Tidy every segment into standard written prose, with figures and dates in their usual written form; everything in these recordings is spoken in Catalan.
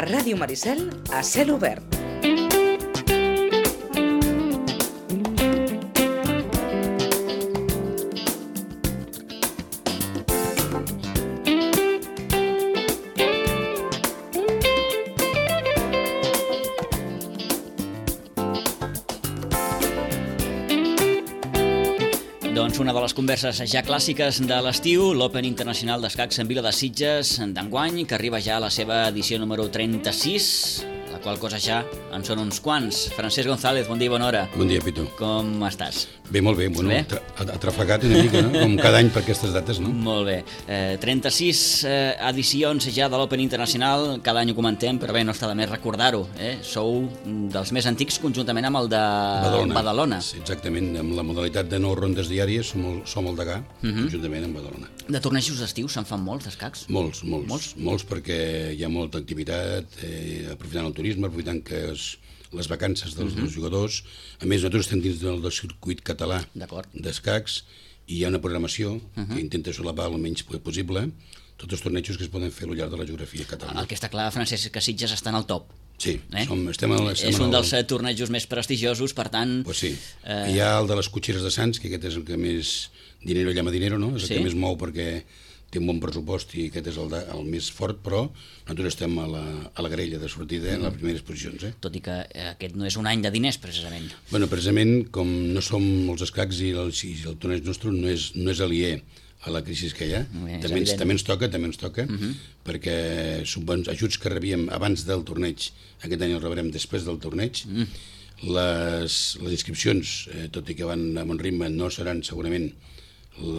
Ràdio Maricel a cel obert. Doncs una de les converses ja clàssiques de l'estiu, l'Open Internacional d'Escacs en Vila de Sitges d'enguany, que arriba ja a la seva edició número 36, la qual cosa ja en són uns quants. Francesc González, bon dia i bona hora. Bon dia, Pitu. Com estàs? Bé, molt bé. Bueno, Bé? atrafegat una mica, no? Com cada any per aquestes dates, no? Molt bé. 36 edicions ja de l'Open Internacional, cada any ho comentem, però bé, no està de més recordar-ho. Sou dels més antics conjuntament amb el de Badalona. Sí, exactament, amb la modalitat de 9 rondes diàries som el degà, conjuntament amb Badalona. De tornejos d'estiu se'n fan molts, d'escacs? Molts perquè hi ha molta activitat, aprofitant el turisme, aprofitant que les vacances dels jugadors. A més, nosaltres estem dins del circuit català d'escacs i hi ha una programació que intenta solapar el menys possible tots els tornejos que es poden fer al llarg de la geografia catalana. El que està clar, Francesc, que Sitges està en el top. Sí, estem és un dels tornejos més prestigiosos, per tant... Pues sí. Hi ha el de les cotxeres de Sants, que aquest és el que més dinero llama dinero, no? És el que més mou perquè té un bon pressupost i aquest és el més fort, però nosaltres estem a la grella de sortida en les primeres posicions. Tot i que aquest no és un any de diners, precisament. Bueno, precisament, com no som els escacs i el torneig nostre no és aliè a la crisi que hi ha, també ens toca, perquè ajuts que rebíem abans del torneig, aquest any els rebrem després del torneig. Les inscripcions, tot i que van a bon ritme, no seran segurament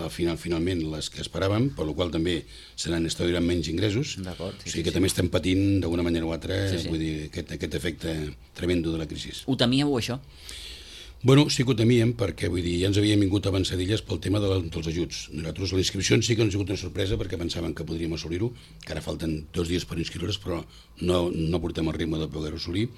finalment les que esperàvem, per la qual també estaran menys ingressos. O sigui que també estem patint d'una manera o altra vull dir, aquest efecte tremendo de la crisi. Ho temíeu, això? Bueno, sí que ho temíem, perquè vull dir, ja ens havien vingut avançadilles pel tema dels ajuts. Nosaltres les inscripcions sí que ens ha sigut una sorpresa perquè pensàvem que podríem assolir-ho, que ara falten 2 dies per inscriure's, però no portem el ritme de poder-ho assolir.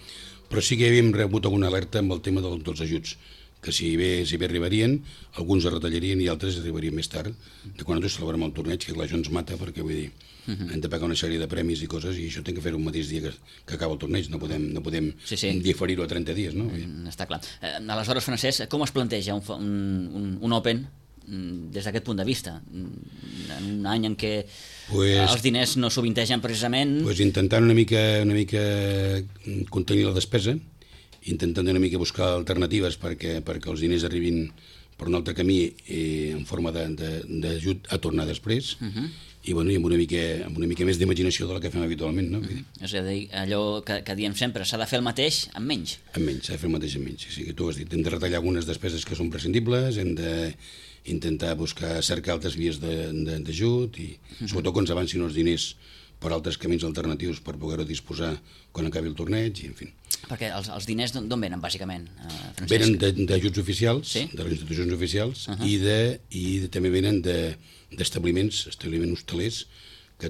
Però sí que havíem rebut alguna alerta amb el tema dels ajuts, que si bé arribarien, alguns es retallarien i altres arribarien més tard, de quan nosaltres celebrem el torneig, que això ens mata, perquè vull dir, hem de pagar una sèrie de premis i coses, i això hem de fer un mateix dia que acaba el torneig, no podem diferir-ho a 30 dies, no? Està clar. Aleshores, Francesc, com es planteja un Open des d'aquest punt de vista? En un any en què els diners no sovintegen precisament... Intentant una mica contenir la despesa, intentant una mica buscar alternatives perquè els diners arribin per un altre camí en forma d'ajut a tornar després i amb una mica més d'imaginació de la que fem habitualment, no? És a dir, allò que diem sempre, s'ha de fer el mateix amb menys. Amb menys, s'ha de fer el mateix amb menys. Sí, que tu has dit, hem de retallar algunes despeses que són prescindibles, hem d'intentar cercar altres vies d'ajut i sobretot que ens avancin els diners per altres camins alternatius per poder-ho disposar quan acabi el torneig, i en fi. Perquè els diners d'on venen, bàsicament, Francesc? Venen d'ajuts oficials, de les institucions oficials, i també venen d'establiments hostelers, que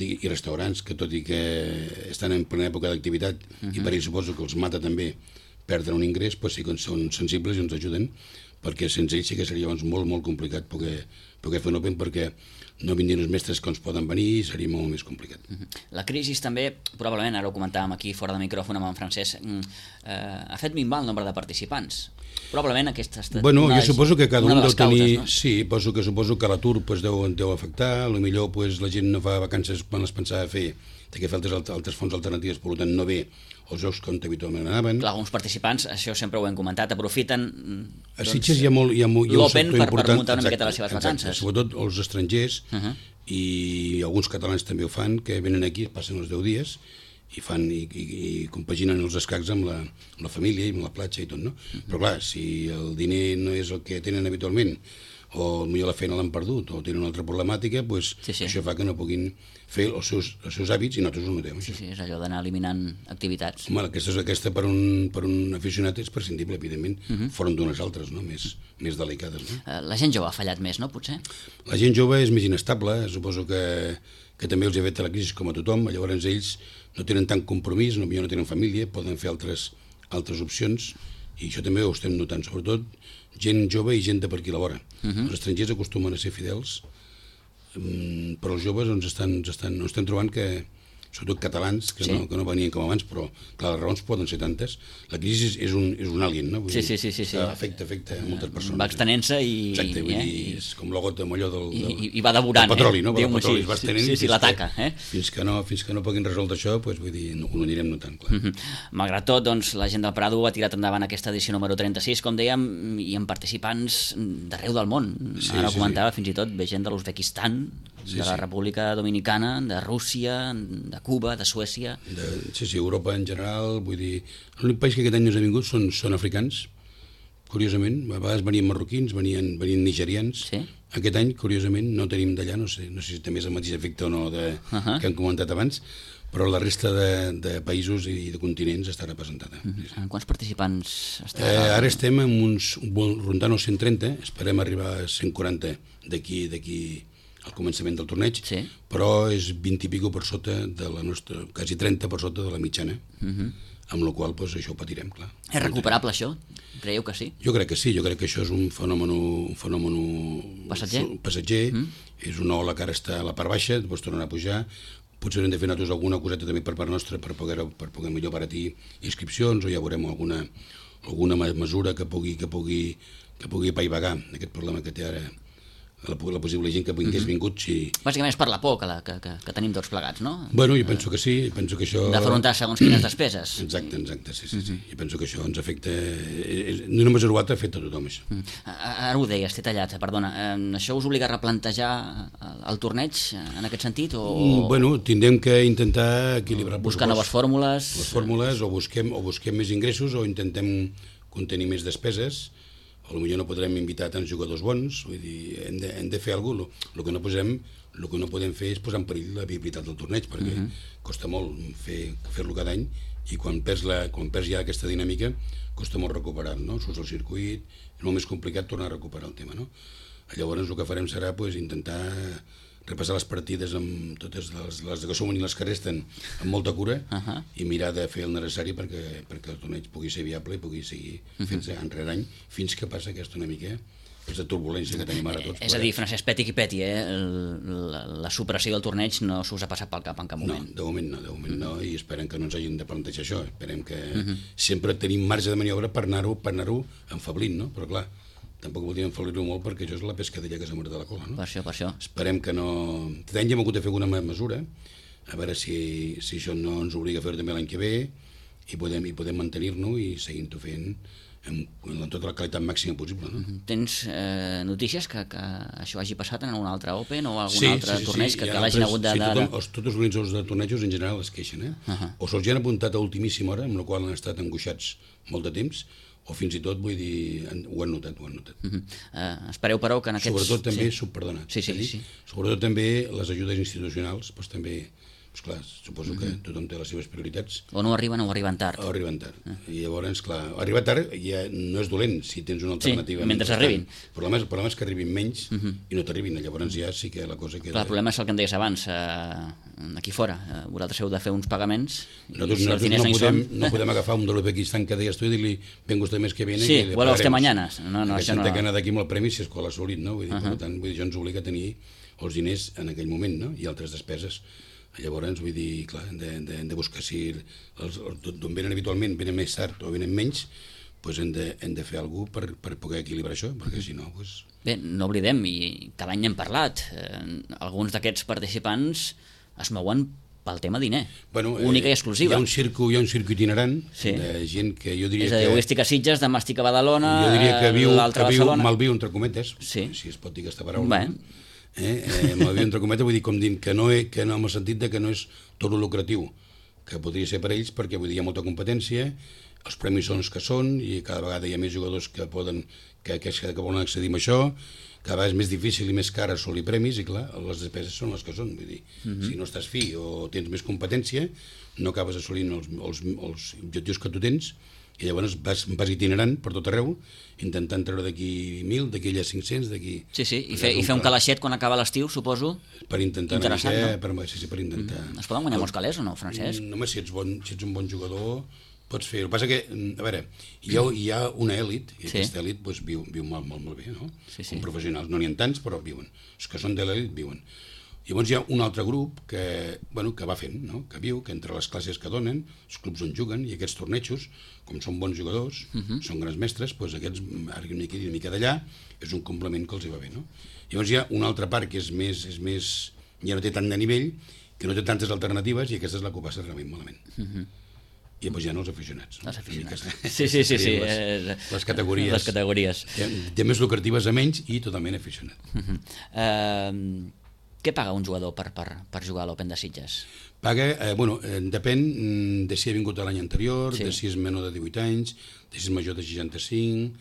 i restaurants, que tot i que estan en plena època d'activitat, i per ells suposo que els mata també perdre un ingrés, però sí que són sensibles i ens ajuden, perquè sense ells sí que seria molt, molt complicat poder fer un Open, perquè no vindrien els mestres que ens poden venir i seria molt més complicat. La crisi també, probablement, ara ho comentàvem aquí fora de micròfon amb en Francesc, ha fet minvar el nombre de participants. Probablement aquesta ha estat jo suposo que cada un deu tenir... No? Sí, suposo que l'atur deu afectar, potser la gent no fa vacances quan les pensava fer, té que fer altres fonts alternatives, per tant no ve els jocs com habitualment anaven. Clar, alguns participants, això sempre ho hem comentat, aprofiten a Sitges hi ha l'Open per muntar una miqueta les seves vacances. Sobretot els estrangers i alguns catalans també ho fan, que venen aquí, passen els 10 dies i compaginen els escacs amb la família i amb la platja i tot, no? Però clar, si el diner no és el que tenen habitualment, o potser la feina l'han perdut, o tenen una altra problemàtica, això fa que no puguin fer els seus hàbits i nosaltres ho notem. Sí, és allò d'anar eliminant activitats. Home, aquesta per un aficionat és prescindible, evidentment, foren d'unes altres, no? més delicades. No? La gent jove ha fallat més, no, potser? La gent jove és més inestable, suposo que també els ha fet la crisi com a tothom, llavors ells no tenen tant compromís, no tenen família, poden fer altres opcions, i això també ho estem notant, sobretot gent jove i gent de per aquí a la vora. Els estrangers acostumen a ser fidels, però els joves ens estem trobant que sobretot catalans, que no venien com abans, però clar, les raons poden ser tantes. La crisi és un alien, no? Sí. Afecta a moltes persones. Va extenent-se i... Exacte, vull dir, és com la gota molló I va devorant, del petroli, no? Diguem-ho El petroli es va estenent sí, l'ataca. Fins que no puguin resoldre això, vull dir, ho anirem notant, clar. Malgrat tot, doncs, la gent del Prado ha tirat endavant aquesta edició número 36, com dèiem, i amb participants d'arreu del món. Ara ho comentava, fins i tot ve gent de l'Uzbekistan, de la República Dominicana, de Rússia, de Cuba, de Suècia... Sí, Europa en general, vull dir... L'únic país que aquest any no ha vingut són africans, curiosament. A vegades venien marroquins, venien nigerians. Sí. Aquest any, curiosament, no tenim d'allà, no sé si també és el mateix efecte o no que hem comentat abans, però la resta de països i de continents està representada. En quants participants està? Ara estem rondant els 130, esperem arribar a 140 d'aquí al començament del torneig, però és 20 i pico per sota de la nostra, quasi 30 per sota de la mitjana, amb la qual cosa això ho patirem, clar. És recuperable això? Creieu que sí? Jo crec que sí, jo crec que això és un fenomen passatger, és una ola que ara està a la part baixa, després tornarà a pujar, potser hem de fer nosaltres alguna coseta també per part nostra per poder millor baratir inscripcions, o ja veurem alguna mesura que pugui apaivagar aquest problema que té ara la possible gent que hagués vingut. Bàsicament és per la por que tenim tots plegats, no? Bueno, jo penso que sí, penso que això... D'afrontar segons quines despeses. Exacte, sí. Jo penso que això ens afecta... Ni una mesura o altra afecta a tothom, això. Ara ho deies, t'he tallat, perdona. Això us obliga a replantejar el torneig en aquest sentit? Bueno, tindrem que intentar equilibrar... Buscar noves fórmules? Les fórmules, o busquem més ingressos, o intentem contenir més despeses. Potser no podrem invitar tants jugadors bons, vull dir, hem de fer alguna cosa. El que no podem fer és posar en perill la viabilitat del torneig, perquè costa molt fer-lo cada any, i quan perds ja aquesta dinàmica costa molt recuperar, no? Surts al circuit, és molt més complicat tornar a recuperar el tema, no? Llavors el que farem serà intentar repassar les partides amb totes les que som i les que resten amb molta cura i mirar de fer el necessari perquè el torneig pugui ser viable i pugui seguir fent-se any rere any fins que passa aquesta una mica aquesta turbulència que tenim ara tots. És a dir, Francesc, peti qui peti, la supressió del torneig no s'us ha passat pel cap en cap moment. No, de moment no, i esperem que no ens hagin de plantejar això. Esperem que sempre tenim marge de maniobra per anar-ho enfablint, no? Però clar, tampoc voldríem enfalir-ho molt perquè això és la pescadella que s'ha mort de la cola, no? Per això. Esperem que no... Aquest any ja hem hagut de fer alguna mesura, a veure si això no ens obliga a fer-ho també l'any que ve i podem mantenir-nos i seguint-ho fent amb tota la qualitat màxima possible, no? Tens notícies que això hagi passat en un altre Open o algun altre torneig que l'hagin hagut de... Tots els organitzadors de tornejos en general es queixen, o se'ls han apuntat a ultimíssima hora, amb la qual han estat angoixats molt de temps, o fins i tot, vull dir, ho han notat. Espereu, però, que en aquests... Sobretot també, perdona, sobretot també les ajudes institucionals, doncs també, clar, suposo que tothom té les seves prioritats. O no arriben tard. O arriben tard. I llavors, clar, arribar tard ja no és dolent si tens una alternativa. Sí, mentre arribin. El problema és que arribin menys i no t'arribin, llavors ja sí que la cosa queda... Clar, el problema és el que em deies abans, aquí fora, vosaltres heu de fer uns pagaments... Nosaltres no podem agafar un de l'Uzbekistan que deies tu i dir-li venga usted mes que viene... Sí, vuelva usted mañana. No, això no... Que anar d'aquí amb el premi si és qual assolit, no? Per tant, això ens obliga a tenir els diners en aquell moment, no? I altres despeses. Llavors, vull dir, clar, hem de buscar si d'on venen habitualment, venen més tard o venen menys, doncs hem de fer alguna cosa per poder equilibrar això, perquè si no... Bé, no oblidem, i cada any hem parlat, alguns d'aquests participants es mouen pel tema diner, única i exclusiva. Hi ha un circuit itinerant de gent que jo diria que... És a dir, avui estic a Sitges, demà estic a Badalona, l'altre a Barcelona... Malviu, entre cometes, si es pot dir aquesta paraula. Malviu, entre cometes, vull dir, com dient que no en el sentit que no és tot lucratiu, que podria ser per ells, perquè vull dir, hi ha molta competència, els premis són els que són, i cada vegada hi ha més jugadors que volen accedir a això, cada vegada és més difícil i més car assolir premis, i clar, les despeses són les que són, vull dir, si no estàs fi o tens més competència, no acabes assolint els objectius que tu tens, i llavors vas itinerant per tot arreu, intentant treure d'aquí 1.000, d'aquí allà 500, d'aquí... Sí, i fer un calaixet quan acaba l'estiu, suposo. Per intentar... Interessant, no? Sí, per intentar... Es poden guanyar molts calés o no, Francesc? Home, si ets un bon jugador, pots fer-ho. El que passa que, a veure, hi ha una èlit, i aquesta èlit viu molt bé, no? Com professionals. No n'hi ha tants, però viuen. Els que són de l'èlit viuen. Llavors hi ha un altre grup que va fent, no? Que viu, que entre les classes que donen, els clubs on juguen i aquests tornejos, com són bons jugadors, són grans mestres, doncs aquests, ara una mica d'allà, és un complement que els hi va bé, no? Llavors hi ha una altra part que és més ja no té tant de nivell, que no té tantes alternatives, i aquesta és la que ho passa realment malament. I després hi ha els aficionats. Els aficionats. Sí. Les categories. Les categories. Té més lucratives a menys i totalment aficionat. Què paga un jugador per jugar a l'Open de Sitges? Paga, depèn de si ha vingut l'any anterior, de si és menor de 18 anys, de si és major de 65,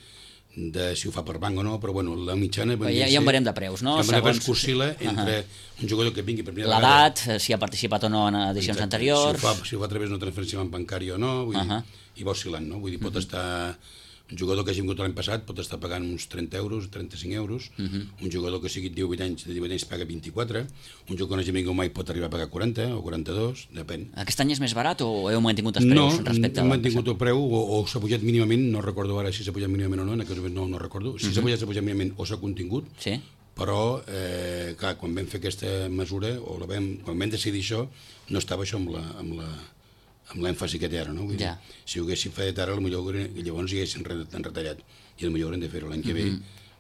de si ho fa per banc o no, però la mitjana... Ja en veurem de preus, no? Ja en veurem que oscil·la entre un jugador que vingui per primera vegada... L'edat, si ha participat o no en edicions anteriors... Si ho fa a través d'una transferència bancària o no, i va oscil·lant, no? Vull dir, pot estar... Un jugador que hagi vingut l'any passat pot estar pagant uns 30 euros, 35 euros, un jugador que sigui de 18 anys paga 24, un jugador que no hagi vingut mai pot arribar a pagar 40 o 42, depèn. Aquest any és més barat o heu mantingut els preus respecte a l'any passat? No, hem mantingut el preu o s'ha pujat mínimament, no recordo ara si s'ha pujat mínimament o no, en aquest moment no recordo, si s'ha pujat mínimament o s'ha contingut, però, clar, quan vam fer aquesta mesura, o quan vam decidir això, no estava això amb l'èmfasi que té ara, no? Vull dir, si ho haguéssim fet ara, llavors hi haguessin retallat, i potser haurem de fer-ho l'any que ve,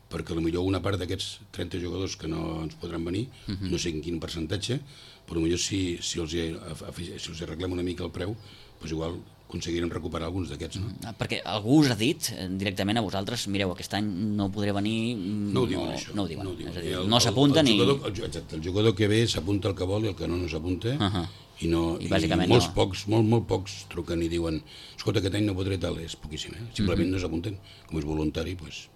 perquè potser una part d'aquests 30 jugadors que no ens podran venir, no sé en quin percentatge, però potser si els arreglem una mica el preu, doncs igual aconseguirem recuperar alguns d'aquests, no? Perquè algú us ha dit directament a vosaltres, mireu, aquest any no podré venir... No ho diuen, això. No ho diuen, és a dir, no s'apunta ni... Exacte, el jugador que ve s'apunta el que vol i el que no s'apunta, i molt pocs truquen i diuen escolta, aquest any no podré tal, és poquíssim, simplement no s'apunten, com és voluntari, doncs...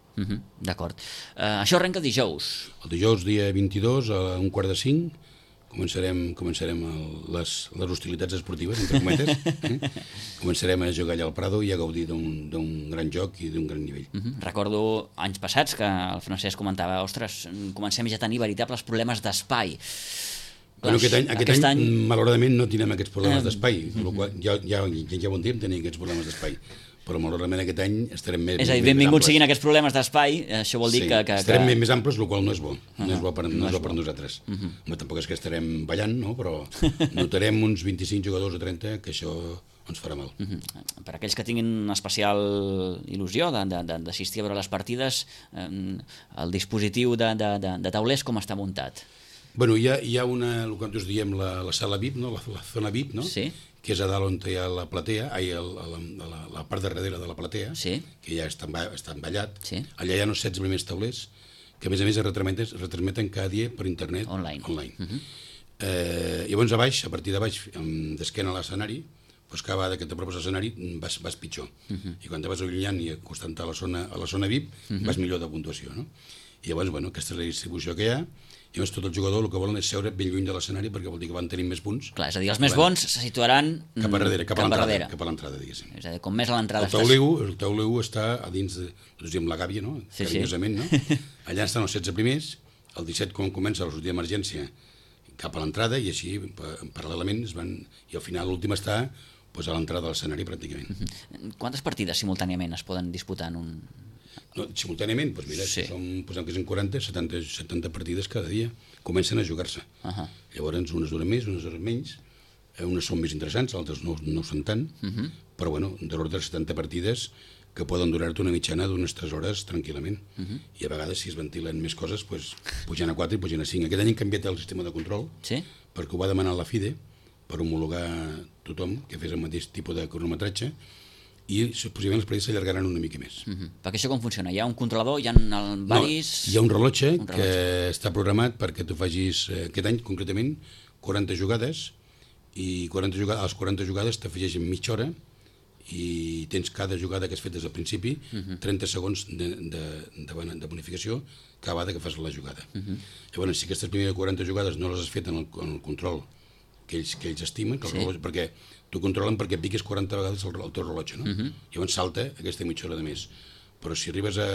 D'acord. Això arrenca dijous. El dijous, dia 22, a 4:45, començarem les hostilitats esportives, entre cometes. Començarem a jugar allà al Prado i a gaudir d'un gran joc i d'un gran nivell. Recordo anys passats que el Francesc comentava, ostres, comencem ja a tenir veritables problemes d'espai. Aquest any, malauradament, no tenim aquests problemes d'espai, ja ho entenem, tenir aquests problemes d'espai, però malauradament aquest any estarem més... És a dir, benvinguts siguin aquests problemes d'espai, això vol dir que... Estarem més amples, el qual no és bo, no és bo per nosaltres. Tampoc és que estarem ballant, no? Però notarem uns 25 jugadors o 30, que això ens farà mal. Per aquells que tinguin especial il·lusió d'assistir a veure les partides, el dispositiu de taulers com està muntat? Bueno, hi ha el que nosaltres diem la sala VIP, no? La zona VIP, no? Sí. Que és a dalt on hi ha la platea, la part de darrere de la platea, que ja està envallat. Allà hi ha uns 16 primers taulers, que a més es retransmeten cada dia per internet. Online. Llavors a partir de baix, d'esquena a l'escenari, doncs cada vegada que t'apropes a l'escenari vas pitjor. I quan te vas allunyant i acostant a la zona VIP, vas millor de puntuació, no? I llavors, aquesta és la distribució que hi ha. I llavors tot el jugador el que volen és seure ben lluny de l'escenari perquè vol dir que van tenir més punts. Clar, és a dir, els més bons se situaran cap a l'entrada, diguéssim. És a dir, com més a l'entrada estàs... El tauleu està a dins de, la gàbia, no? Carinyosament, no? Allà estan els 16 primers, el 17 quan comença la sortida d'emergència cap a l'entrada i així, paral·lelament, i al final l'últim està a l'entrada de l'escenari pràcticament. Quantes partides simultàniament es poden disputar en un... Simultàniament, doncs mira, posem que són 40, 70 partides cada dia, comencen a jugar-se. Llavors, unes duren més, unes duren menys, unes són més interessants, altres no són tant, però de l'ordre de 70 partides que poden durar-te una mitjana d'unes 3 hores tranquil·lament. I a vegades, si es ventilen més coses, pugen a 4 i pugen a 5. Aquest any hem canviat el sistema de control, perquè ho va demanar la FIDE, per homologar tothom que fes el mateix tipus de cronometratge, i possiblement les partides s'allargaran una mica més. Perquè això com funciona? Hi ha un controlador? Hi ha varis... No, hi ha un rellotge que està programat perquè tu facis, aquest any concretament, 40 jugades, i a les 40 jugades t'afegeixen mitja hora i tens cada jugada que has fet des del principi 30 segons de bonificació cada vegada que fas la jugada. Llavors, si aquestes primeres 40 jugades no les has fet en el control que ells estimen, perquè t'ho controlen perquè piques 40 vegades el teu rellotge, no? Llavors salta aquesta mitja hora de més. Però si arribes a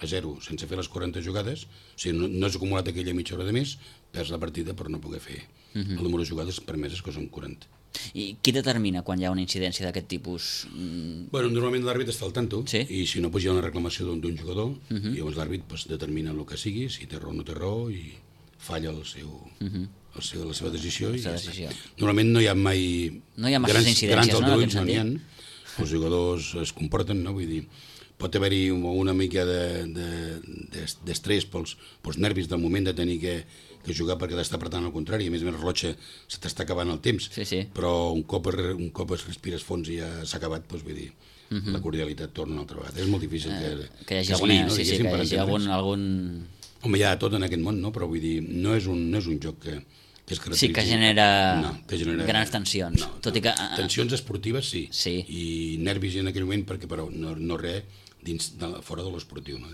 0 sense fer les 40 jugades, o sigui, no has acumulat aquella mitja hora de més, perds la partida per no poder fer el número de jugades permeses, que són 40. I qui determina quan hi ha una incidència d'aquest tipus? Normalment l'àrbit està al tanto, i si no, hi ha una reclamació d'un jugador, i llavors l'àrbit determina el que sigui, si té raó o no té raó, i falla la seva decisió i ja està. decisió. Normalment no hi ha mai No hi ha masses incidències, grans no, en aldarulls, aquest no n'hi ha. sentit. Els jugadors es comporten, no? Vull dir, pot haver-hi una mica d'estrès pels nervis del moment de tenir que jugar perquè t'està apretant al contrari, a més el rellotge se t'està acabant el temps, però un cop es respires fons i ja s'ha acabat, doncs vull dir, la cordialitat torna una altra vegada. És molt difícil que hi hagi algun... Home, hi ha tot en aquest món, no? Però vull dir, no és un joc que es caracteritza... Sí, que genera grans tensions. No. Tensions esportives sí, i nervis en aquell moment, perquè però no res fora de l'esportiu. No?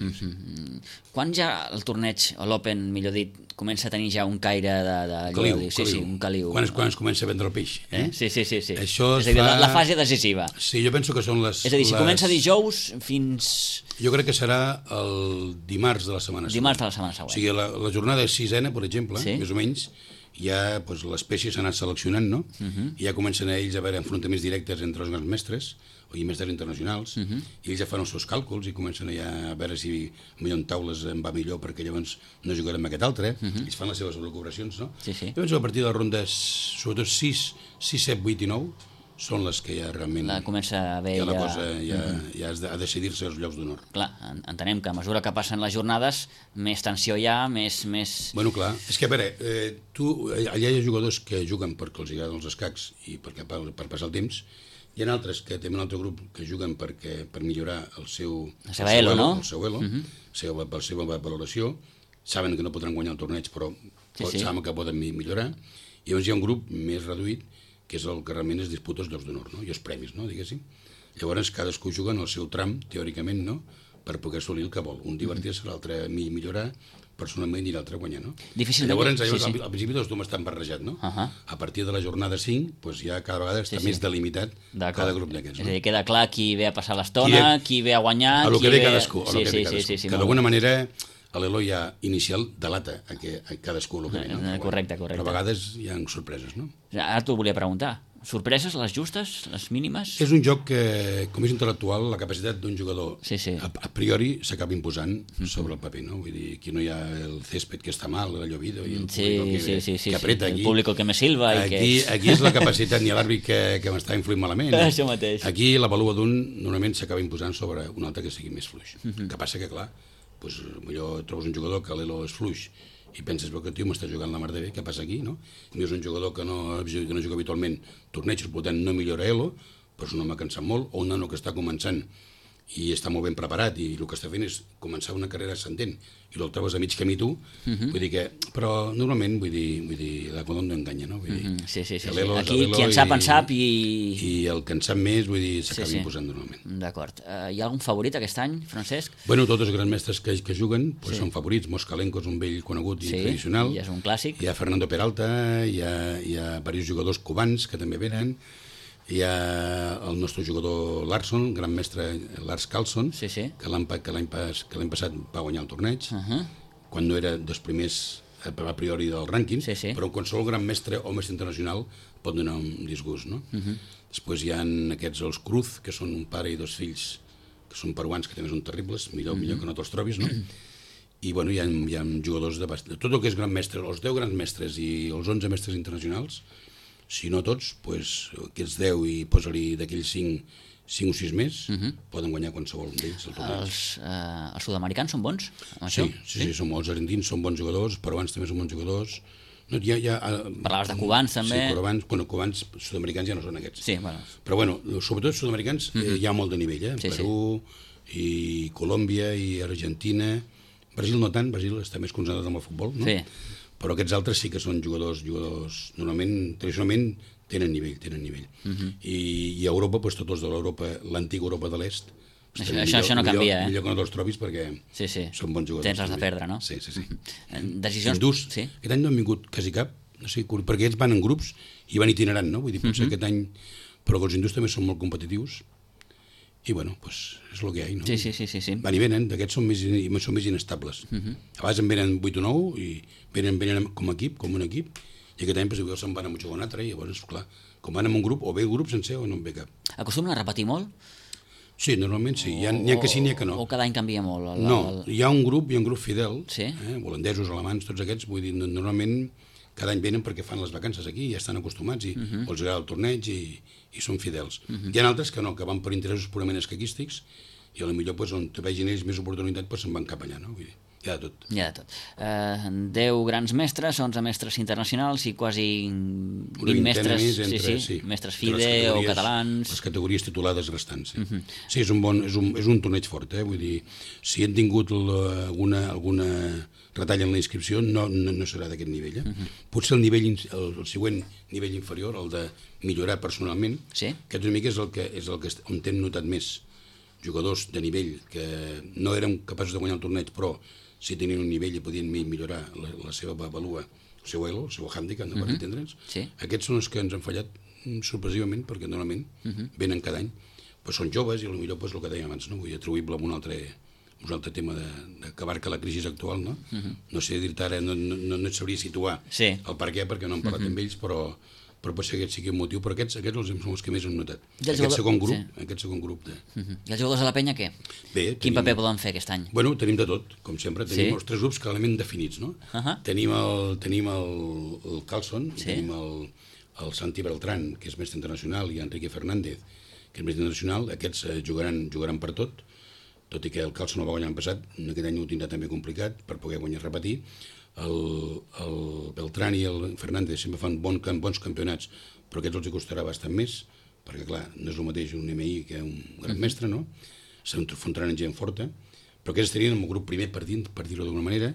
Quan ja el torneig, o l'Open, millor dit, comença a tenir ja un caire de caliu. Sí, un caliu. Quan es comença a vendre el peix. Sí. Això és a dir, la fase decisiva. Sí, jo penso que són les... És a dir, si comença dijous fins... Jo crec que serà el dimarts de la setmana següent. Dimarts de la setmana següent. O sigui, la jornada sisena, per exemple, més o menys, ja l'espècie s'ha anat seleccionant, no? I ja comencen ells a haver enfrontaments directes entre els grans mestres i mestres internacionals, i ells ja fan els seus càlculs i comencen ja a veure si millor en taules em va millor perquè llavors no jugarem amb aquest altre, ells fan les seves elucubracions, no? Jo penso que a partir de les rondes, sobretot 6, 7, 8 i 9, són les que ja realment... Comença a haver la cosa ja ha de decidir-se els llocs d'honor. Clar, entenem que a mesura que passen les jornades, més tensió hi ha, més... Bueno, clar, és que a veure, allà hi ha jugadors que juguen perquè els agraden els escacs i per passar el temps. Hi ha altres que tenen un altre grup que juguen per millorar la seva elo, la seva valoració. Saben que no podran guanyar el torneig, però saben que poden millorar. I llavors hi ha un grup més reduït, que és el que realment es disputa els llocs d'honor, no? I els premis, no? Diguéssim. Llavors cadascú juga en el seu tram, teòricament, no? Per poder assolir el que vol. Un divertir-se, l'altre millorar personalment i l'altre guanyar, no? Llavors, al principi tots tu m'estan barrejat, no? A partir de la jornada 5, doncs ja cada vegada està més delimitat cada grup d'aquests. És a dir, queda clar qui ve a passar l'estona, qui ve a guanyar... A lo que ve cadascú. Que d'alguna manera l'elo ja inicial delata a cadascú el que ve, no? Correcte. Però a vegades hi ha sorpreses, no? Ara t'ho volia preguntar. Sorpreses, les justes, les mínimes? És un joc que, com és intel·lectual, la capacitat d'un jugador a priori s'acaba imposant sobre el paper, no? Vull dir, aquí no hi ha el césped que està mal, el llovido, i el público que apreta aquí. El público que me silva. Aquí és la capacitat, ni l'àrbit que m'està influint malament. Això mateix. Aquí la valua d'un normalment s'acaba imposant sobre un altre que sigui més fluix. Que passa que, clar, millor trobes un jugador que l'elo és fluix i penses que el tio m'està jugant la mar de bé, què passa aquí, no? I és un jugador que no juga habitualment tornejos, per tant no millora elo, però és un home que en sap molt, o un nano que està començant i està molt ben preparat i el que està fent és començar una carrera ascendent i el trobes a mig camí tu, vull dir que... Però normalment, vull dir, la Codon no enganya, no? Sí. Aquí qui en sap i... I el que en sap més, vull dir, s'acaba imposant normalment. D'acord. Hi ha algun favorit aquest any, Francesc? Bueno, tots els grans mestres que juguen són favorits. Moskalenko és un vell conegut i tradicional. Sí, és un clàssic. Hi ha Fernando Peralta, hi ha diversos jugadors cubans que també venen. Hi ha el nostre jugador Larsson, gran mestre Lars Carlsson, que l'any passat va guanyar el torneig, quan no era dels primers a priori del rànquing, però qualsevol gran mestre o mestre internacional pot donar un disgust, no? Després hi ha aquests, els Cruz, que són un pare i dos fills, que són peruans, que també són terribles, millor que no te'ls trobis, no? I bueno, hi ha jugadors de tot el que és gran mestre, els 10 grans mestres i els 11 mestres internacionals, si no tots, doncs aquests 10 i posa-li d'aquells 5 o 6 més, poden guanyar qualsevol d'ells. Els sud-americans són bons? Sí, són bons. Els argentins són bons jugadors, peruans també són bons jugadors. Parlaves de cubans també? Sí, cubans, sud-americans ja no són aquests. Però bueno, sobretot sud-americans hi ha molt de nivell, Perú i Colòmbia i Argentina. Brasil no tant, Brasil està més concentrat en el futbol, no? Però aquests altres sí que són jugadors normalment, tradicionalment, tenen nivell. I a Europa, tots els de l'Europa, l'antiga Europa de l'Est, això no canvia, millor que no te'ls trobis perquè són bons jugadors. Tens les de perdre, no? Sí. Decisions... Hindús, aquest any no han vingut quasi cap, no sé, perquè ells van en grups i van itinerant, no? Vull dir, potser aquest any... Però els hindús també són molt competitius i bueno, és el que hi ha, no? Sí. Van i venen, d'aquests són més inestables. A vegades en venen 8 o 9 i venen com un equip, i aquest any potser se'n van a jugar un altre, i llavors, clar, com van en un grup, o ve un grup sencer o no en ve cap. Acostumen a repetir molt? Sí, normalment sí. N'hi ha que sí, n'hi ha que no. O cada any canvia molt? No, hi ha un grup fidel, Sí. holandesos, alemans, tots aquests, vull dir, normalment cada any venen perquè fan les vacances aquí, ja estan acostumats i els agrada el torneig i són fidels. Hi ha altres que no, que van per interessos purament escaquístics i potser pues, on vegin ells més oportunitat pues, se'n van cap allà, no? Vull dir, hi ha de tot. Hi ha de tot. 10 grans mestres, 11 mestres internacionals i quasi 20 mestres, mestres FIDE o catalans. Les categories titulades restants. Sí, sí és un torneig fort, vull dir, si hem tingut alguna retall en la inscripció, no serà d'aquest nivell. Potser el següent nivell inferior, el de millorar personalment, aquest una mica és el que on hem notat més jugadors de nivell que no eren capaços de guanyar el torneig, però si tenien un nivell i podien millorar la seva valua, el seu elo, el seu hàndicap, per entendre'ns. Aquests són els que ens han fallat sorpresivament, perquè normalment venen cada any. Però són joves i potser el que dèiem abans, vull dir, atribuïble a un altre tema que abarca la crisi actual, no? No sé dir-te ara, no et sabria situar el per què, perquè no hem parlat amb ells, però potser aquest sigui un motiu, però aquests són els que més hem notat. Aquest segon grup de... I els jugadors de la penya què? Quin paper poden fer aquest any? Bueno, tenim de tot, com sempre. Tenim els 3 grups clarament definits, no? Tenim el Carlson, tenim el Santi Beltrán, que és mestre internacional, i Enrique Fernández, que és mestre internacional. Aquests jugaran per tot i que el Carlson no va guanyar l'any passat, aquest any ho tindrà també complicat per poder guanyar i repetir. El Beltrán i el Fernández sempre fan bons campionats, però aquests els costarà bastant més, perquè clar, no és el mateix un MI que un gran mestre, no? S'enfrontaran en gent forta, però aquests estarien en el grup primer per dir-ho d'alguna manera.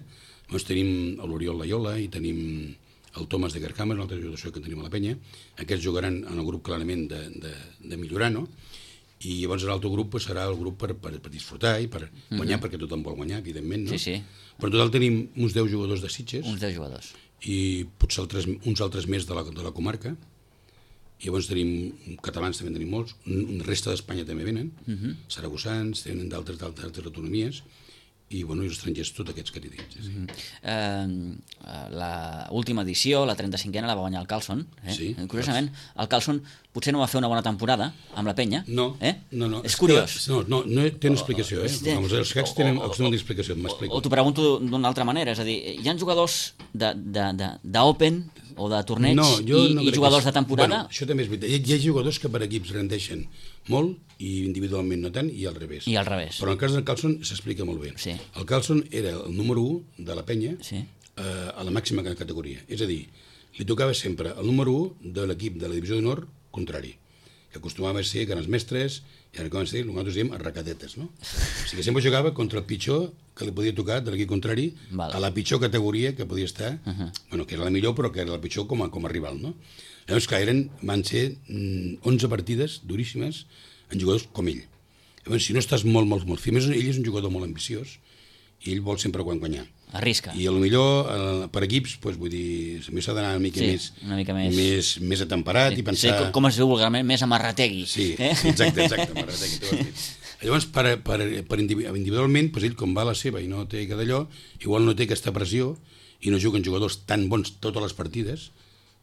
Llavors tenim l'Oriol Laiola i tenim el Thomas de Gerhammer, un altre jugador que tenim a la penya. Aquests jugaran en el grup clarament de millorar, no? I llavors l'altre grup serà el grup per disfrutar i per guanyar, perquè tothom vol guanyar, evidentment, no? Però en total tenim uns 10 jugadors de Sitges. Uns 10 jugadors. I potser uns altres més de la comarca. I llavors tenim catalans, també en tenim molts, resta d'Espanya també venen, saragossans, tenen d'altres autonomies, i els estrangers, tots aquests que t'he dit. L'última edició, la 35a, la va guanyar el Carlson. Curiosament, el Carlson potser no va fer una bona temporada amb la penya. No. És curiós. No tenen explicació. Els cacs tenen explicació, m'explico. O t'ho pregunto d'una altra manera, és a dir, hi ha jugadors d'Open o de torneig i jugadors de temporada? Això també és veritat. Hi ha jugadors que per equips rendeixen molt i individualment no tant, i al revés. Però en el cas del Carlson s'explica molt bé. El Carlson era el número 1 de la penya a la màxima categoria. És a dir, li tocava sempre el número 1 de l'equip de la divisió d'honor contrari, que acostumava a ser grans mestres, i ara com el que nosaltres diem arracadetes, no? O sigui que sempre jugava contra el pitjor que li podia tocar de l'equip contrari, a la pitjor categoria que podia estar, que era la millor però que era la pitjor com a rival, no? Llavors que van ser 11 partides duríssimes en jugadors com ell. Llavors, si no estàs molt fi, més ell és un jugador molt ambiciós i ell vol sempre guanyar. Arrisca. I potser per equips, vull dir, s'ha d'anar una mica més atemperat i pensar... Com es diu vulgarment, més amarrategui. Sí, exacte, amarrategui. Llavors, individualment, ell com va a la seva i no té d'allò, igual no té aquesta pressió i no juguen jugadors tan bons totes les partides,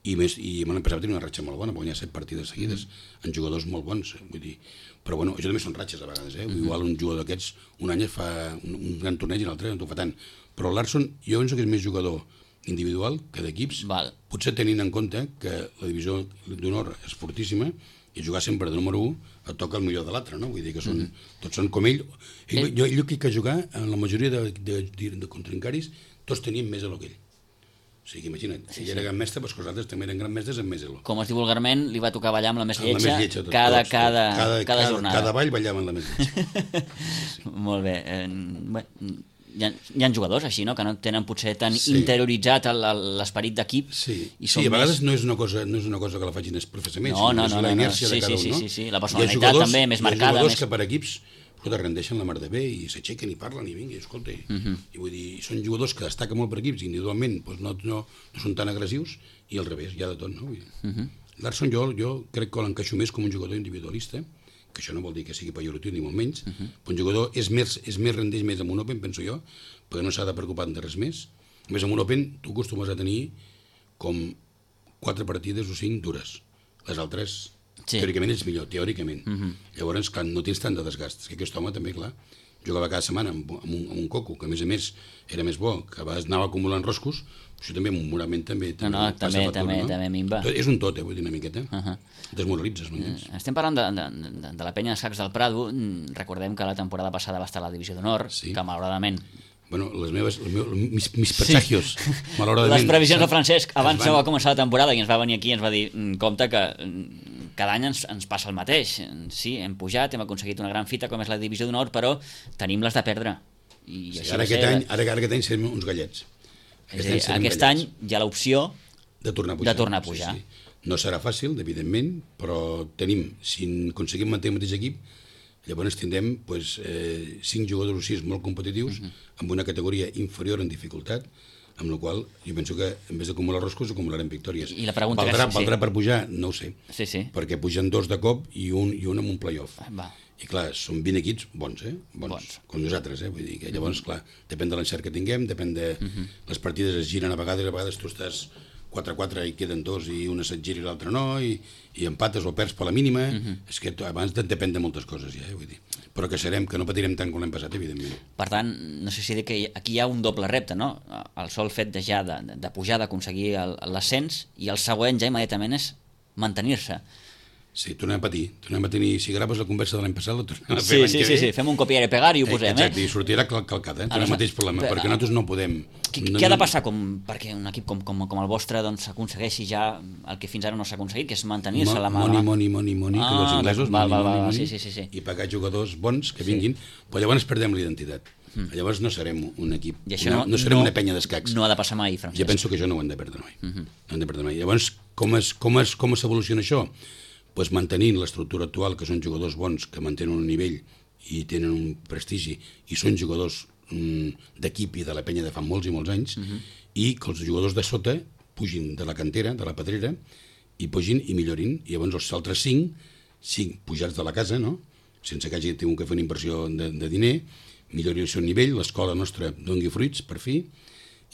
i l'any passat tenir una ratxa molt bona, guanyar 7 partides seguides en jugadors molt bons, vull dir, però això també són ratxes a vegades, igual un jugador d'aquests un any fa un gran torneig i l'altre no t'ho fa tant, però l'Arson jo penso que és més jugador individual que d'equips, potser tenint en compte que la divisió d'honor és fortíssima i jugar sempre de número 1 et toca el millor de l'altre, no? Vull dir que tots són com ell. Jo crec que jugar en la majoria de contrincaris tots tenien més elo que ell. O sigui, imagina't, si ell era gran mestre, doncs els altres també eren gran mestres amb més elo. Com es diu vulgarment, li va tocar ballar amb la més lletja cada jornada. Cada ball ballava amb la més lletja. Molt bé. Hi ha jugadors així, no?, que no tenen potser tan interioritzat l'esperit d'equip. Sí, a vegades no és una cosa que la facin professaments, sinó és la inèrcia de cada un, no? Sí, la personalitat també més marcada. Hi ha jugadors que per equips rendeixen la mar de bé i s'aixequen i parlen i vinga, escolta, i vull dir, són jugadors que destaquen molt per equips i individualment no són tan agressius, i al revés, hi ha de tot, no? L'Arson jo crec que l'encaixo més com un jugador individualista, que això no vol dir que sigui pejoratiu ni molt menys, però un jugador rendeix més en un Open, penso jo, perquè no s'ha de preocupar de res més. A més, en un Open tu acostumes a tenir com 4 partides o 5 dures, les altres Sí. Teòricament és millor, teòricament. Llavors, clar, no tens tant de desgast. És que aquest home també, clar, jugava cada setmana amb un coco, que a més era més bo, que a vegades anava acumulant roscos, això també moralment també passa factura, no? També minva. És un tot, vull dir una miqueta. Desmoralitzes, m'entens? Estem parlant de la penya d'escacs del Prado. Recordem que la temporada passada va estar a la Divisió d'Honor, que malauradament... Bueno, mis presagios, malauradament... Les previsions de Francesc, abans de començar la temporada, i ens va venir aquí i ens va dir, compte que cada any ens passa el mateix. Sí, hem pujat, hem aconseguit una gran fita com és la Divisió d'Honor, però tenim les de perdre. I sí, ara aquest any serem uns gallets. Aquest any hi ha l'opció de tornar a pujar. Sí. No serà fàcil, evidentment, però tenim, si aconseguim mantenir el mateix equip, llavors tindrem 5 jugadors o 6 molt competitius amb una categoria inferior en dificultat, amb la qual jo penso que en vez d'acumular roscos acumularem victòries. I la pregunta valdrà per pujar? No ho sé, sí. perquè pugen 2 de cop i un amb un play-off. I clar, són 20 equips bons, com nosaltres, vull dir que llavors, clar, depèn de l'encert que tinguem, depèn de... Les partides es giren a vegades tu estàs 4-4 i queden 2 i una se't gira i l'altra no, i empates o perds per la mínima. És que abans depèn de moltes coses ja, vull dir. Però que no patirem tant com l'hem passat, evidentment. Per tant, no sé si dir que aquí hi ha un doble repte, no? El sol fet de pujar, d'aconseguir l'ascens, i el següent ja immediatament és mantenir-se. Sí, tornem a tenir, si graves la conversa de l'any passat, la tornem a fer l'any que ve. Sí, fem un copiar i pegar i ho posem, Exacte, i sortirà calcat, el mateix problema, perquè nosaltres no podem... Què ha de passar perquè un equip com el vostre aconsegueixi ja el que fins ara no s'ha aconseguit, que és mantenir-se la mà? Money, que els inglesos, sí. I pagar jugadors bons que vinguin, però llavors perdem la identitat. Llavors no serem un equip, no serem una penya d'escacs. No ha de passar mai, Francesc. Jo penso que això no ho hem de perdre mai. Llavors, com s'evoluciona això? Pues mantenint l'estructura actual, que són jugadors bons, que mantenen un nivell i tenen un prestigi, i són jugadors d'equip i de la penya de fa molts i molts anys, i que els jugadors de sota pugin de la cantera, de la pedrera, i pugin i millorin, i llavors els altres 5 pujats de la casa, no? Sense que hagi tingut que fer una inversió de diner, millorin el seu nivell, l'escola nostra doni fruits, per fi,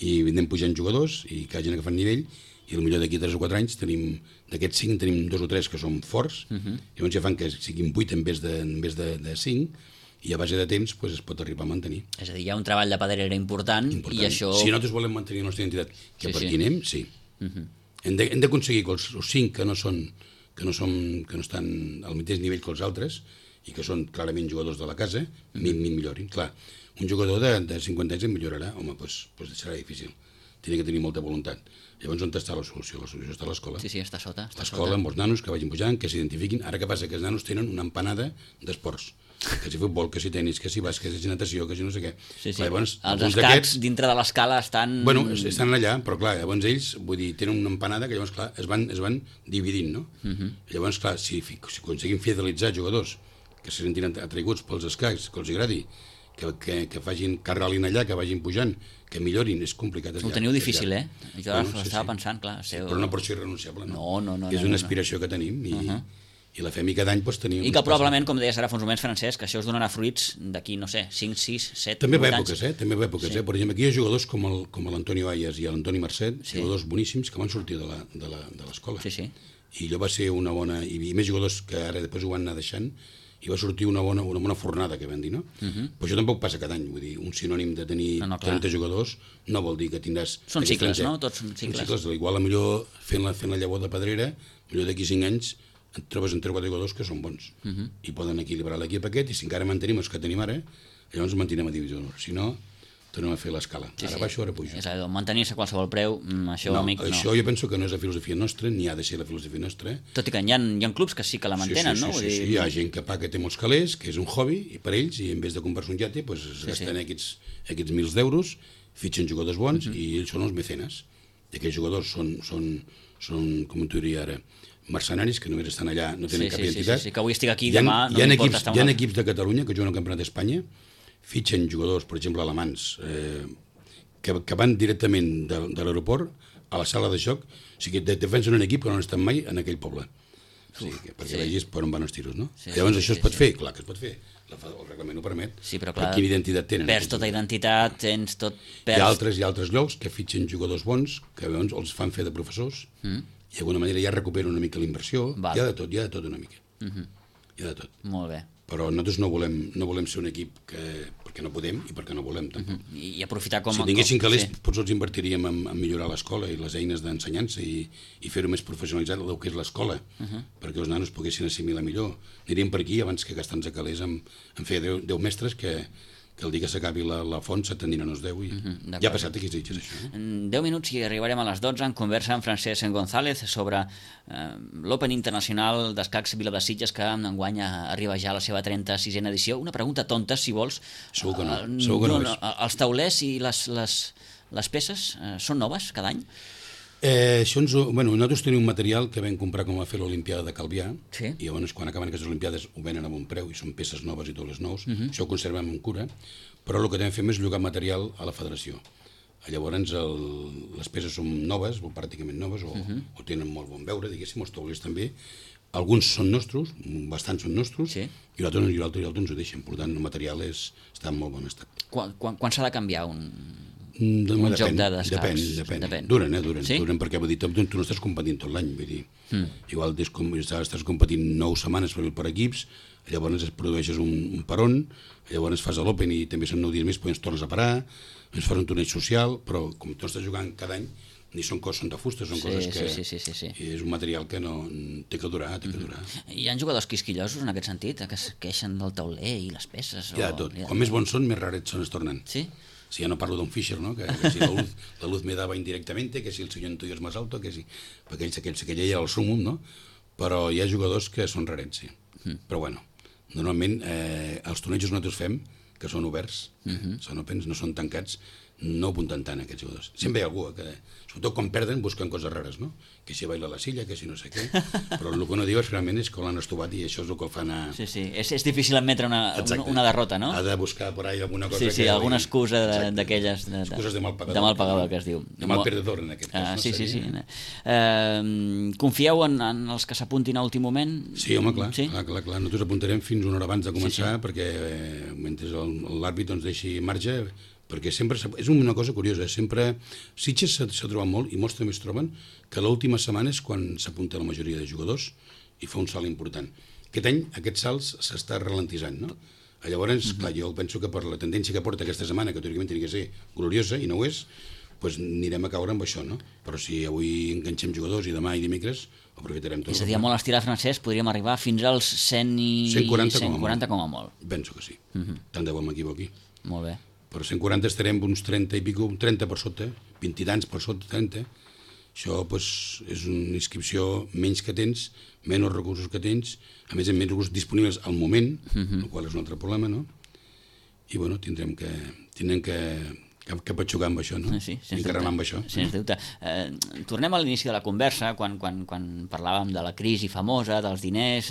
i anem pujant jugadors, i que hagin agafat nivell, i potser d'aquí 3 o 4 anys d'aquests 5 tenim 2 o 3 que són forts, llavors ja fan que siguin 8 en vez de 5, i a base de temps es pot arribar a mantenir. És a dir, hi ha un treball de pedrera important. I això... Si nosaltres volem mantenir la nostra identitat, que per aquí anem, sí. Hem d'aconseguir que els 5 que no estan al mateix nivell que els altres, i que són clarament jugadors de la casa, millorin. Clar, un jugador de 50 anys en millorarà, home, doncs serà difícil. Tiene que tenir molta voluntat. Llavors, on està la solució? La solució està a l'escola. Sí, està sota. L'escola, amb els nanos que vagin pujant, que s'identifiquin. Ara què passa? Que els nanos tenen una empanada d'esports. Que si futbol, que si tenis, que si bàsquet, que si natació, que si no sé què. Llavors, els escacs dintre de l'escala estan... Bueno, estan allà, però clar, llavors ells, vull dir, tenen una empanada que llavors, clar, es van dividint, no? Llavors, clar, si aconseguim fidelitzar jugadors que se sentin atraiguts pels escacs, que els agradi, que arrelin allà, que vagin pujant, que millorin, és complicat. Ho teniu difícil, Jo estava pensant, clar. Però no pot ser irrenunciable, no? No. És una aspiració que tenim i la fem i cada any tenim... I que probablement, com deies ara fa uns moments, Francesc, que això us donarà fruits d'aquí, no sé, 5, 6, 7, 8 anys. També va èpoques, Per exemple, aquí hi ha jugadors com l'Antonio Ayas i l'Antoni Marcet, jugadors boníssims que van sortir de l'escola. I allò va ser una bona... I més jugadors que ara després ho van anar deixant, i va sortir una bona fornada, que vam dir, no? Però això tampoc passa cada any, vull dir, un sinònim de tenir 30 jugadors no vol dir que tindràs... Són cicles, no? Tots són cicles. Igual, millor fent la llavor de pedrera, millor d'aquí 5 anys et trobes en 3 o 4 jugadors que són bons i poden equilibrar l'equip aquest, i si encara mantenim els que tenim ara, llavors mantinem a Divisió d'Honor. Si no, tornem a fer l'escala. Ara baixo, ara pujo. És a dir, mantenir-se a qualsevol preu, això, amic, no. Això jo penso que no és la filosofia nostra, ni ha de ser la filosofia nostra. Tot i que hi ha clubs que sí que la mantenen, no? Sí, hi ha gent que paga, té molts calés, que és un hobby, i per ells, i en vez de comprar-se un iate, es gasten aquests mils d'euros, fitxen jugadors bons, i ells són els mecenes. I aquells jugadors són com t'ho diria ara, mercenaris que només estan allà, no tenen cap identitat. Sí, que avui estic aquí, demà no m'importa estar... Hi ha equips de Catalunya que juguen al Campionat d'Espanya, fitxen jugadors, per exemple, alemans, que van directament de l'aeroport a la sala de joc, o sigui, defensen un equip que no han estat mai en aquell poble. Perquè vegis per on van els tiros, no? Llavors això es pot fer? Clar que es pot fer. El reglament ho permet. Sí, però clar, quina identitat tenen? Perds tota identitat, tens tot... Hi ha altres llocs que fitxen jugadors bons, que llavors els fan fer de professors, i d'alguna manera ja recupera una mica la inversió. Val. Hi ha de tot una mica. Hi ha de tot. Molt bé. Però nosaltres no volem ser un equip perquè no podem i perquè no volem, tampoc. I aprofitar com... Si tinguéssim calés, potser els invertiríem en millorar l'escola i les eines d'ensenyança i fer-ho més professionalitzat del que és l'escola, perquè els nanos poguessin assimilar millor. Aniríem per aquí abans que gastar-nos a calés en fer 10 mestres que el dia que s'acabi la font se t'aniran els 10 i ja ha passat aquí, això. En 10 minuts i arribarem a les 12 en conversa amb Francesc González sobre l'Open Internacional d'Escacs Vila de Sitges, que enguany arriba ja a la seva 36a edició. Una pregunta tonta, si vols. Segur que no. Els taulers i les peces són noves cada any? Nosaltres tenim un material que vam comprar com a fer l'Olimpiada de Calvià, sí. I llavors quan acaben aquestes Olimpiades ho venen a bon preu i són peces noves i totes nous. Això ho conservem amb cura, però el que també fem és llogar material a la federació. Llavors les peces són noves, o pràcticament noves, o tenen molt bon veure, diguéssim, els taulers també. Alguns són nostres, bastants són nostres, sí. I l'altre ens ho deixen. Per tant, el material està en molt bon estat. Quan s'ha de canviar un joc d'escacs? Depèn. Duren, sí? Duren perquè tu no estàs competint tot l'any, vull dir. Igual estàs competint 9 setmanes per equips, llavors produeixes un peron, llavors fas l'Open i també són 9 dies més, però ens tornes a parar, ens fas un torneig social, però com tu estàs jugant cada any, ni són de fusta, són coses que... Sí. És un material que no té que durar, Hi ha jugadors quisquillosos en aquest sentit, que es queixen del tauler i les peces? Hi ha tot. Com més bons són, més rarets es tornen. Sí? Si ja no parlo d'un Fischer, ¿no? Que si la luz me daba indirectamente, que si el señor Antonio es más alto, que si... Perquè aquell era el súmum, no? Però hi ha jugadors que són rarets, sí. Però bueno, normalment els tornejos nosaltres fem, que són oberts, són opens, no són tancats, no apunten tant aquests jugadors. Sempre hi ha algú que, sobretot quan perden, busquen coses rares, no? Que si baila la silla, que si no sé què, però el que no diu realment és que l'han estovat i això és el que el fan a... Sí, és difícil admetre una derrota, no? Ha de buscar por ahí alguna cosa que... Sí, alguna excusa d'aquelles... Excuses de mal pagador. De mal pagador, que es diu. De mal perdedor, en aquest cas. Sí. Confieu en els que s'apuntin a últim moment? Sí, home, clar. Nosaltres apuntarem fins una hora abans de començar, perquè mentre l'àrbit ens deixi marge, perquè sempre és una cosa curiosa, sempre Sitges s'ha trobat molt, i molts també es troben, que l'última setmana és quan s'apunta la majoria de jugadors i fa un salt important. Aquest any aquest salt s'està ralentitzant, no? Llavors, clar, jo penso que per la tendència que porta aquesta setmana, que teòricament hauria de ser gloriosa, i no ho és, doncs anirem a caure amb això, no? Però si avui enganxem jugadors i demà i dimecres, aprofitarem tot. És a dir, molt estirat, Francesc, podríem arribar fins als 140 com a molt. Penso que sí. Tant de bo m'equivoqui. Molt bé. Per 140 estarem uns 30 i pico, 30 per sota, 20 i tants per sota, 30. Això doncs, és una inscripció menys que tens, menys recursos que tens, a més menys recursos disponibles al moment, el qual és un altre problema, no? I bueno, tindrem que patxugar amb això, no? Sí, i carregar amb això. Sens dubte. Tornem a l'inici de la conversa, quan parlàvem de la crisi famosa, dels diners,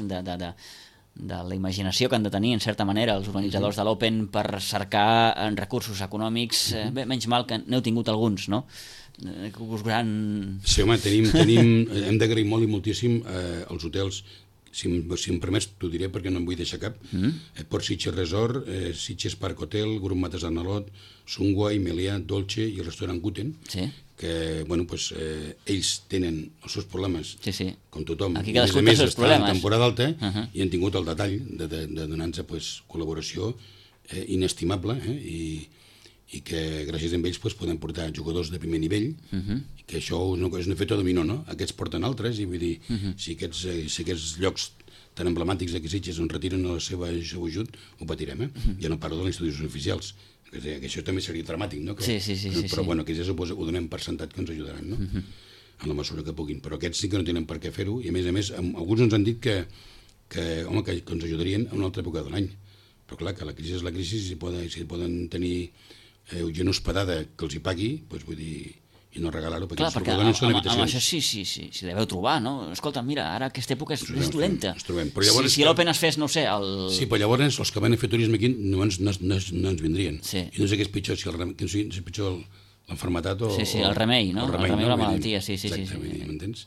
de la imaginació que han de tenir, en certa manera, els organitzadors de l'Open per cercar recursos econòmics. Bé, menys mal que n'heu tingut alguns, no? Sí, home, hem d'agrair molt i moltíssim els hotels. Si em permets, t'ho diré perquè no em vull deixar cap. Port Sitges Resort, Sitges Park Hotel, Grup Mates d'Arnalot, Sungway, Melià, Dolce i el restaurant Guten, que ells tenen els seus problemes, com tothom. Aquí cadascú té els seus problemes. En temporada alta i han tingut el detall de donar-nos col·laboració inestimable i que gràcies a ells podem portar jugadors de primer nivell, i que això és un efecte dominó, no? Aquests porten altres, i vull dir, si aquests llocs tan emblemàtics de Sitges on retiren el seu ajut, ho patirem, Ja no parlo de les institucions oficials, que això també seria dramàtic, no? Però bueno, aquests ho donem per sentat que ens ajudaran, no? En la mesura que puguin, però aquests sí que no tenen per què fer-ho, i a més, alguns ens han dit que ens ajudarien a una altra època de l'any, però clar, que la crisi és la crisi, si poden tenir gent hospedada que els hi pagui, doncs vull dir, i no regalar-ho, perquè amb això sí deveu trobar, no? Escolta, mira, ara aquesta època és dolenta. Si l'Open es fes, no sé... Sí, però llavors els que van a fer turisme aquí no ens vindrien. I no sé què és pitjor, si és pitjor l'enfermetat o... Sí, el remei, no? El remei o la malaltia, sí. Exactament, m'entens?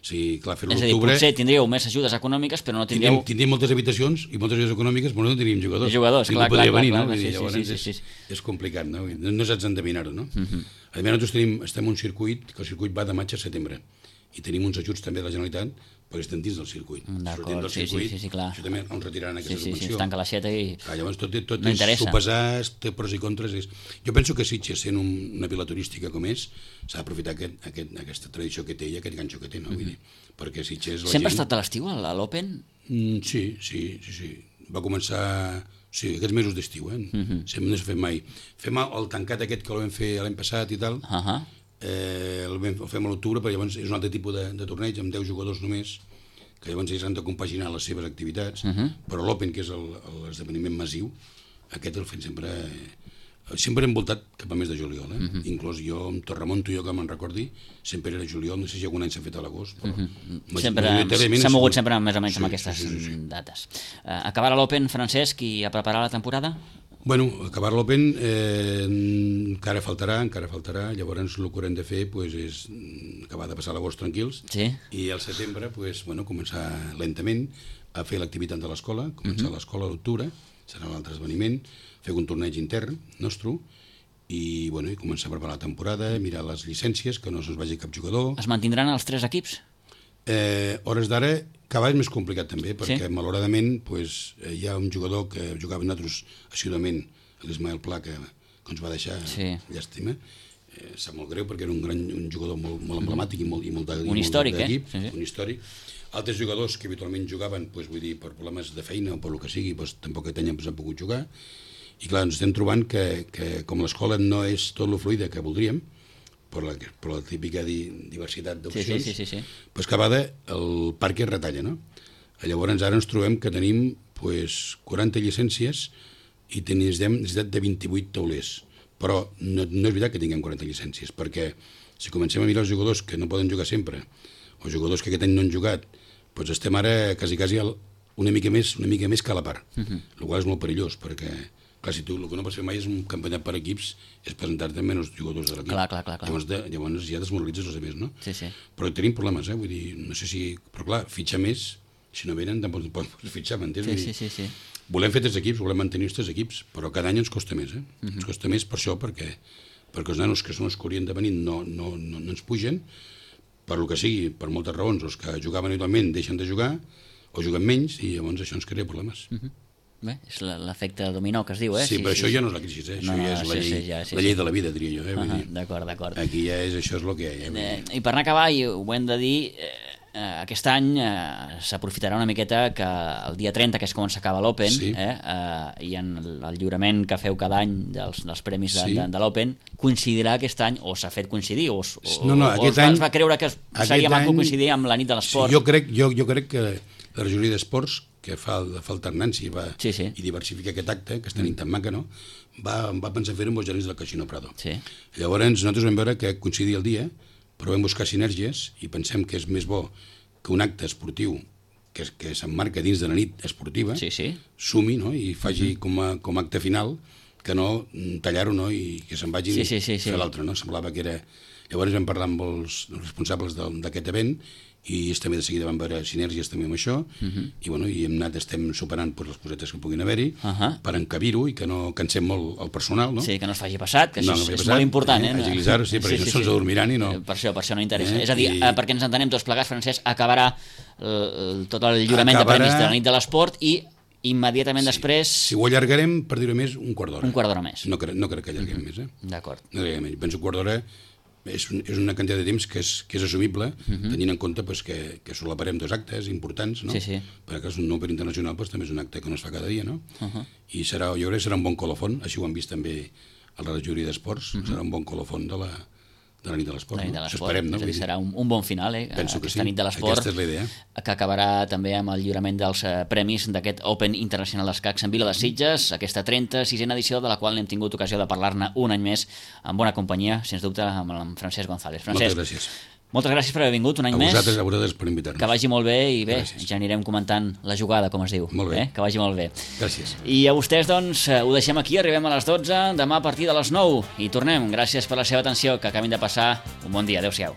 Sí, clar, fer-ho a l'octubre... És a dir, potser tindríeu més ajudes econòmiques, però no tindríeu... Tindríem moltes habitacions i moltes ajudes econòmiques, però no tindríem jugadors. Clar. Llavors és complicat, no? No saps endevinar-ho, no? A més, nosaltres estem en un circuit, que el circuit va de maig a setembre. i tenim uns ajuts també de la Generalitat perquè estem dins del circuit. D'acord, del circuit, sí, clar. Això també on retiraran aquesta subvenció. Sí, es tanca l'aixeta i Llavors tot no és interessa. sopesar, té pros i contres. Jo penso que Sitges, sent una vila turística com és, s'ha d'aprofitar aquesta tradició que té i aquest ganxo que té, no? Vull dir, perquè Sitges... Sempre ha estat a l'estiu, a l'Open? Sí. Va començar... Sí, aquests mesos d'estiu, Sempre no s'ha fet mai. Fem el tancat aquest que el vam fer l'any passat i tal, el fem a l'octubre, però llavors és un altre tipus de torneig, amb 10 jugadors només, que llavors ells han de compaginar les seves activitats, però l'Open, que és l'esdeveniment massiu, aquest el fem sempre envoltat cap a mes de juliol, inclús jo, amb Torremonto, jo que me'n recordi, sempre era juliol, no sé si algun any s'ha fet a l'agost, però... S'ha mogut sempre més o menys amb aquestes dates. Acabarà l'Open, Francesc, i a preparar la temporada? Bueno, acabar l'Open encara faltarà, llavors el que haurem de fer és acabar de passar l'agost tranquils i al setembre començar lentament a fer l'activitat de l'escola, començar l'escola a l'octubre, serà l'altre esdeveniment, fer un torneig intern nostre i començar a preparar la temporada, mirar les llicències, que no se'ns vagi cap jugador. Es mantindran els 3 equips? Hores d'ara, cada vegada és més complicat també, perquè malauradament hi ha un jugador que jugava nosaltres assiduament, l'Ismael Pla, que ens va deixar llàstima. Sap molt greu perquè era un jugador molt emblemàtic i molt un històric, un històric. Altres jugadors que habitualment jugaven, per problemes de feina o per el que sigui, tampoc tenien pogut jugar. I clar, ens estem trobant que com l'escola no és tot lo fluida que voldríem, per la típica diversitat d'opcions, cada vegada el parc es retalla, no? Llavors ara ens trobem que tenim 40 llicències i tenim necessitat de 28 taulers, però no és veritat que tinguem 40 llicències, perquè si comencem a mirar els jugadors que no poden jugar sempre, o jugadors que aquest any no han jugat, estem ara quasi una mica més que a la part, el qual és molt perillós, perquè clar, si tu el que no pots fer mai és un campionat per equips, és presentar-te amb menys jugadors de l'equip. Clar. Llavors ja desmoralitzes els altres, no? Sí. Però tenim problemes, vull dir, no sé si... Però clar, fitxar més, si no venen, tampoc pots fitxar, m'entens? Sí. Volem fer 3 equips, volem mantenir els 3 equips, però cada any ens costa més, Ens costa més per això, perquè els nanos que són els que haurien de venir no ens pugen, per el que sigui, per moltes raons, els que jugaven habitualment deixen de jugar, o juguen menys, i llavors això ens crea problemes. Bé, és l'efecte dominó que es diu, Sí, però això ja no és la crisi, això ja és la llei de la vida, diria jo. D'acord. Aquí ja això és el que hi ha. I per anar a acabar, i ho hem de dir, aquest any s'aprofitarà una miqueta que el dia 30, que és quan s'acaba l'Open, i en el lliurament que feu cada any dels premis de l'Open, coincidirà aquest any, o s'ha fet coincidir, o es va creure que seria maco coincidir amb la nit de l'esport. Jo crec que la regidoria d'esports, que fa alternància i diversifica aquest acte, que està tan maca, no? Va pensar fer-ho amb els gerents del Casino Prado. Llavors nosaltres vam veure que coincidia el dia, però vam buscar sinergies i pensem que és més bo que un acte esportiu que s'emmarca dins de la nit esportiva sumi i faci com a acte final, que no tallar-ho i que se'n vagin a fer l'altre. Semblava que era... Llavors vam parlar amb els responsables d'aquest event i també de seguida vam veure sinergies també amb això i estem superant les cosetes que puguin haver-hi per encabir-ho i que no cansem molt el personal, no? Sí, que no es faci passat, que això és molt important, agilitzar-ho, sí, perquè això se'ls adormiran i no... Per això no interessa. És a dir, perquè ens entenem tots plegats, Francesc, acabarà tot el lliurament de premis de la nit de l'esport i immediatament després... Si ho allargarem, per dir-ho més, un quart d'hora. Un quart d'hora més. No crec que allarguem més, D'acord. Penso un quart d'hora és una quantitat de temps que és assumible, tenint en compte que solaparem 2 actes importants, no? Perquè un Open internacional també és un acte que no es fa cada dia, no? I jo crec que serà un bon colofon, així ho han vist també a la regidoria d'esports, serà un bon colofon de la nit de l'esport. Això esperem, no? És a dir, serà un bon final, aquesta nit de l'esport, aquesta és la idea. Que acabarà també amb el lliurament dels premis d'aquest Open Internacional d'Escacs en Vila de Sitges, aquesta 36a edició, de la qual n'hem tingut ocasió de parlar-ne un any més amb bona companyia, sens dubte, amb el Francesc González. Moltes gràcies. Moltes gràcies per haver vingut un any més. A vosaltres per invitar-nos. Que vagi molt bé i bé, ja anirem comentant la jugada, com es diu. Molt bé. Que vagi molt bé. Gràcies. I a vostès, doncs, ho deixem aquí, arribem a les 12, demà a partir de les 9 i tornem. Gràcies per la seva atenció, que acabin de passar un bon dia. Adéu-siau.